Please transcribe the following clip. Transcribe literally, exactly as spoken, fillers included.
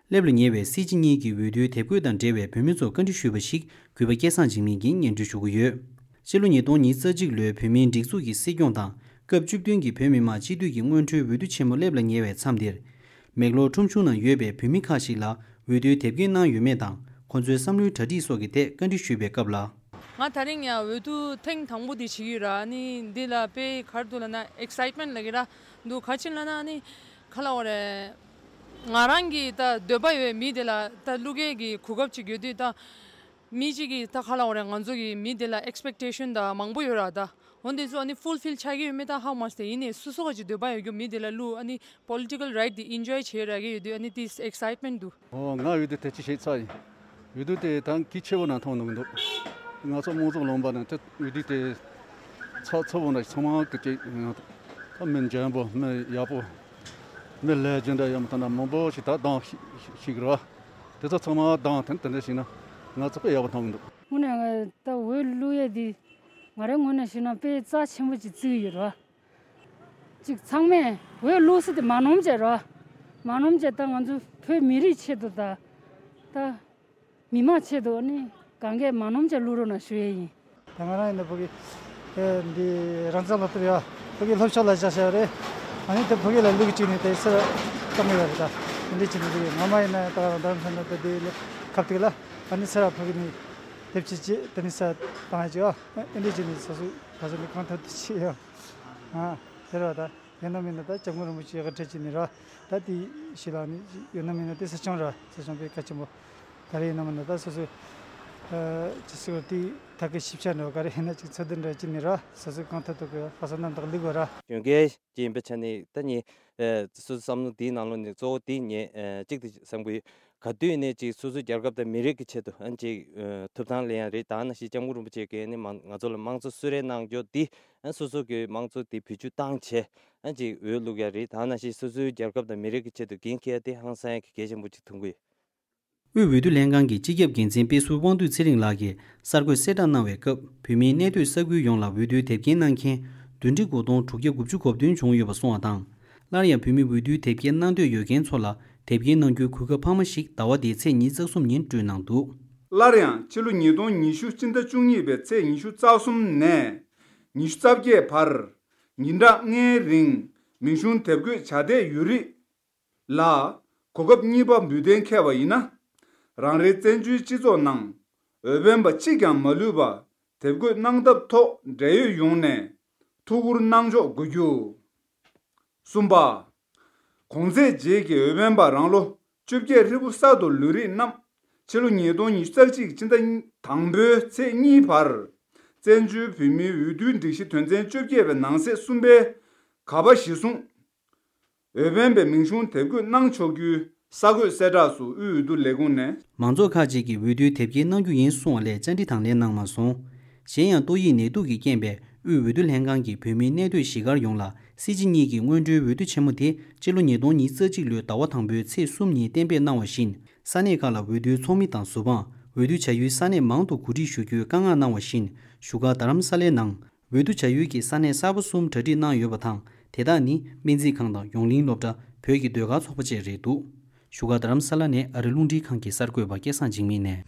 སླེབས་ལ་ཉེ་བའི་སྲིད་སྤྱི་གཉིས་ཀྱི་འོས་བསྡུའི་དེབ་འགོད་དང་འབྲེལ་བའི་བོད་མི་ཚོར་བཀའ་འདྲི་ཞུས་པ་ཞིག་གུས་པ་སྐལ་བཟང་འཇིགས་མེད་ཀྱིས་སྙན་སྒྲོན་ཞུ་གི་ཡོད། ཕྱི་ལོ་ཉིས་སྟོང་ཉི་ཤུ་རྩ་གཅིག་ལོའི་བོད་མིའི་སྒྲིག་འཛུགས་ཀྱི་སྲིད་སྐྱོང་དང་སྐབས་བཅུ་བདུན་གྱི་བོད་མི་མང་སྤྱི་འཐུས་ཀྱི་སྔོན་འགྲོའི་འོས་བསྡུ་ཆེན་མོ་སླེབས་ལ་ཉེ་བའི་མཚམས་འདིར། མེག་ལོར་ཁྲོམ་གཞུང་ནང་ཡོད་པའི་བོད་མི་ཁག་ཅིག་ལ་འོས་བསྡུའི་དེབ་སྐྱེལ་གནང་ཡོད་མེད་དང་ཁོང་ཚོའི་བསམ་བློའི་གྲ་སྒྲིག་སོགས་ཀྱི་ཐད་བཀའ་འདྲི་ཞུས་པའི་སྐབས་ལ། ང་དེ་རིང་ཡང་འོས་བསྡུ་ཐེངས་དང་པོ་དེ་བྱེད་ཀྱི་ཡོད་ར། ཨ་ནི་འདི་ལ་དཔེ་ག་རེ་འདུག་ལབ་ན་ཨེག་སའེཊ་མེན་ཊི་ལབ་ཀྱི་ར་འདུག་ག་ཅི་ལབ་ན་ཨ་ནི་ག་ལབ་དགོས་རེད། ང་རང་གི་ད་འདོད་པ་ཡོད་མི་དེ་ལ་ད་བླུག་མཁན་གྱི་གོ་སྐབས་ཅིག་ཡོད་དུས་ད། མི་གཅིག་གིས་ད་ག་ལབ་དགོས་རེད། ང་ཚོ་གི་མི་དེ་ལ་ཨེག་སི་པེག་ཊེ་ཤན་ད་མང་པོ་ཡོད་ར་ད། འོ་འདི་ཚོ་ཨ་ནི་ཕུལ་ཕིལ་ཆགས་ཀྱི་ཡོད་མེད་ད་ཧ་མ་ཤེས། ཡིན་ནའི་སོ་སོ་ག་ཅིག་འདོད་པ་ཡོད་རྒྱུ་མི་དེ་ལ་བླུག་ཨ་ནི་པོ་ལི་ཊི་ཀལ་རའིཊ་དེ་ཨེན་ཇོའི་བྱེད་རག་གི་ཡོད་དུས་ཨ་ནི་དེ་ཨེག་སའེཊ་མེན་ཊི་འདུག་ཨོ་ང་འོས་བསྡུ་དེ་ཅི་ཞིག་ཚར་ཡིན། འོས་བསྡུ་དེ་ད་གལ་ཆེ་བོ་ནང་མཐོང་གནང་གི་འདུག་ང་ཚོ་དམངས་གཙོ་ལུང་པ་ནང་དེ་འོས་བསྡུ་དེ་ཚགས་ཚུད་པོ་ནང་ཚང་མ་གི་ཅིག་ད་མི་འཇོན་པོ་མི་ཡག་པོ་མི་ལས་རྒྱུ་འདྲ་ཡོད་མ་ཐག་ན་མང་པོ་ཞིག་ད་གདམ་ཞིག་རེད་བ། དེ་ཚོ་ཚང་མ་གདམ་དེ་དེ་འདྲ་ཞིག་ན་ང་ཚོ་དཔེ་ཡག་པོ་མཐོང་གི་འདུག་དངོས་གནས་ང་ད་འོས་བླུག་ཡས་འདི་ང་རའི་ངོས་ནས་ཞུས་ན་དཔེ་རྩ་ཆེན་པོ་ཅིག་བརྩི་གི་ཡོད་རེད་བ། ཅིག་ཚང་མས་འོས་བླུག་ས་དེ་མ་ནོར་བྱས་རོ། མ་ནོར་བྱས་ད་ང་ཚོ་བོད་མི་རིགས་ཆེད་དུ་ད། ད། མི་མང་ཆེད་དུ་ནི་གང་གས་མ་ནོར་བྱས་བླུག་རོགས་གནང་ཞུ་ཡས་ཡིན། ད་ང་རང་ཡིན་ན་ཕ་གི་ཨེ་འདི་རང་བཙན་སློབ་གྲྭ་ཡ་ཕ་གི་སློབ་ཕྱོགས་ལ་བཞག་བཞག་རེད། ཨ་ནི་ད་ཕ་གི་ལ་ལུག་གཅིག་ནི་ད་སེ་བཏང་གི་ཡོད་རེད། ད་འདི་འདྲ་བྱས་ནས་ཕ་གི་ང་མ་ཡིན་ན་ད་རང་རྡ་རམ་ས་ན་ད་འདི་ལ་ཁབ་ཏིག་ལ་ཨ་ནི་སེ་ར་ཕ་གི་ནི་དེབ་ཅིག་ཅིག་ད་ནི་སེ་བཏང་ཡ་ཅིག་ཨ་འདི་འདྲ་བྱས་ནས་སོ་སོ་ད་སོ་ནི་གང་ཐུབ་ཐུབ་བྱེད་ཡ། ཨ་དེ་རེད་བ། ད་ཡོད་ན་མེད་ན་ད་སྐྱབས་མགོན་རིན་པོ་ཆེ་གི་གྲས་ཅིག་ནི་རེད་བ། ད་དེ་ཞིག་ལ་ནི་ཡོད་ན་མེད་ན་དེ་སྲིད་སྐྱོང་རེད་བ། སྲིད་སྐྱོང་དཔེ་གལ་ཆེན་པོ་ག་རེ་ཡིན་ན་མིན་ན་ད་སོ་སོའི་ཨ་ཅི་ཟེར་དེ་ད་གི་ཞིབ་ཆ་འདྲ་བ་ག་རེ་ཡིན་ན་ཅིག་འཚོལ་བསྡུ་འདྲ་ཅིག་ནི་རེད་བ། སོ་སོའི་གང་ཐུབ་ཐུབ་གི་ཕ་ས་རྣམ་དག་ལུག་བ་རེད་བ། གཞོན་སྐྱེས་ཅིག་ཡིན་པའི་ཆ་ནས་ད་ནི་ཨ་སོ་སོའི་བསམ་བློ་དེའི་ནང་ལོགས་ནས་གཙོ་བོ་དེ་ངས་ཨ་གཅིག་དེ་བསམ་གི་ཡོད། ག་དུས་ནས་ཅིག་སོ་སོའི་རྒྱལ་ཁབ་དང་མི་རིགས་ཀྱི་ཆེད་དུ་ཨ་ཅིག་ཨ་ཐུབ་ཐང་ལེན་ཡ་རེད། ད་ནང་བཞིན་སྐྱབས་མགོན་རིན་པོ་ཆེ་གིས་ནི་མང་ང་ཚོ་ལ་དམངས་གཙོ་གསོལ་རས་གནང་རྒྱུ་འདི་ཨ་སོ་སོ་གི་དམངས་གཙོ་འདི་བེད་སྤྱོད་བཏང་བྱས་ཨ་ཅིག་འོས་བླུག་ཡ་རེད། ད་ནང་བཞིན་སོ་སོའི་རྒྱལ་ཁབ་དང་མི་རིགས་ཀྱི་ཆེད་དུ་འགན་འཁྱེར་ཡ་དེ་ཧང་སང་ཡ་གི་གལ་ཆེན་པོ་ཅིག་མཐོང་གི་ཡོད། དབུས་འོས་བསྡུ་ལྷན་ཁང་གི་སྤྱི་ཁྱབ་འགན་འཛིན་དཔེ་ཟུར་དབང་འདུས་ཚེ་རིང་ལགས་ཀྱིས་གསར་འགོད་གསལ་བསྒྲགས་གནང་བའི་སྐབས་བོད་མིའི་གནས་སྡོད་ས་ཁུལ་ཡོངས་ལ་འོས་བསྡུའི་དེབ་སྐྱེལ་གནང་མཁན་བདུན་ཁྲི་དགུ་སྟོང་དྲུག་བརྒྱ་དགུ་བཅུ་གོ་བདུན་བྱུང་ཡོད་པ་གསུངས་པ་དང་། སླར་ཡང་བོད་མི་འོས་བསྡུའི་དེབ་སྐྱེལ་གནང་འདོད་ཡོད་མཁན་ཚོ་ལ་དེབ་སྐྱེལ་གནང་རྒྱུའི་གོ་སྐབས་འཕར་མ་ཞིག་ཟླ་བ་འདིའི་ཚེས་ཉི་ཤུ་རྩ་གསུམ་ཉིན་སྤྲོད་གནང་འདུག་སླར་ཡང་ཕྱི་ལོ་ཉིས་སྟོང་ཉི་ཤུ་སྤྱི་ཟླ་བཅུ་གཉིས་པའི་ཚེས་ཉི་ཤུ་རྩ་གསུམ་ནས་ཉི་ཤུ་རྩ་བརྒྱད་བར་ཉིན་གྲངས་ལྔའི་རིང་མིང་གཞུང་དེབ་འགོད་བྱ་བསྡད་ཡོད་རིགས་ལ་གོ་སྐབས་གཉིས་པ་འབུལ་གཏན་འཁེལ་བ་ཡིན་ན། རང་རེའི་བཙན་བྱོལ་སྤྱི་ཚོགས་ནང་འོས་འཕེན་པ་གཅིག་ཀྱང་མ་ལུས་པ་དེབ་འགོད་གནང་ཐབས་ཐོག་འབྲེལ་ཡོད་ཡོངས་ནས་ཐུགས་ཁུར་གནང་ཕྱོགས་དགོས་རྒྱུ། གསུམ་པ། གོང་ཚེས་རྗེས་ཀྱི་འོས་འཕེན་པ་རང་ལོ་བཅོ་བརྒྱད་ཧྲིལ་པོ་གསར་དུ་ལུས་རིགས་རྣམས་ཕྱི་ལོ་ཉིས་སྟོང་ཉི་ཤུ་རྩ་གཅིག་སྤྱི་ཟླ་དང་པོའི་ཚེས་གཉིས་བར་བཙན་བྱོལ་བོད་མིའི་འོས་བསྡུའི་སྒྲིག་གཞི་དོན་ཚན་བཅོ་བརྒྱད་པའི་ནང་གསེས་གསུམ་པའི་ག་པ་གཞིར་བཟུང་། འོས་འཕེན་པའི་མིང་གཞུང་དེབ་འགོད་གནང་ཆོག་རྒྱུའི་གསར་འགོད་གསལ་བསྒྲགས་སུ་དབུས་འོས་བསྡུ་ལས་ཁུངས་ནས། མང་ཚོགས་ཁག་ཅིག་གིས་འོས་བསྡུའི་དེབ་སྐྱེལ་གནང་རྒྱུ་ཡིན་གསུངས་པ་ལས་བཅར་འདྲི་དང་ལེན་གནང་མ་སོང་། གཞན་ཡང་ཏོག་དབྱིབས་ནད་དུག་གི་རྐྱེན་པས་དབུས་འོས་བསྡུ་ལྷན་ཁང་གིས་བོད་མིའི་གནས་སྡོད་གཞིས་སྒར་ཡོངས་ལ་སྲིད་སྤྱི་གཉིས་ཀྱི་སྔོན་འགྲོའི་འོས་བསྡུ་ཆེན་མོ་དེ་སྤྱི་ལོ་ཉིས་སྟོང་ཉི་ཤུ་རྩ་གཅིག་ལོའི་ཟླ་བ་དང་པོའི་ཚེས་གསུམ་ཉིན་གཏན་འབེབས་གནང་བ་བཞིན། ས་གནས་ཁག་ལ་འོས་བསྡུའི་ཚོགས་མི་དང་ཟུར་དཔང་། འོས་བསྡུ་བྱ་ཡུལ་ས་གནས་མང་དུ་གོ་སྒྲིག་ཞུ་རྒྱུའི་བཀའ་མངགས་གནང་བ་བཞིན། བཞུགས་སྒར་རྡ་རམ་ས་ལའི་ནང་། འོས་བསྡུ་བྱ་ཡུལ་གྱི་ས་གནས་གསར་པ་གསུམ་གྲ་སྒྲིག་གནང་ཡོད་པ་དང་། དེ་དག་ནི་སྨན་རྩིས་ཁང་དང་ཡོངས་གླིང་སློབ་གྲྭ། བོད་ཀྱི་ཟློས་གར་ཚོགས་པ་བཅས་རེད་འདུག་བཞུགས་སྒར་རྡ་རམ་ས་ལ་ནས་ཨ་རི་རླུང་འཕྲིན་ཁང་གི་གསར་འགོད་པ་སྐལ་བཟང་འཇིགས་མེད་ནས།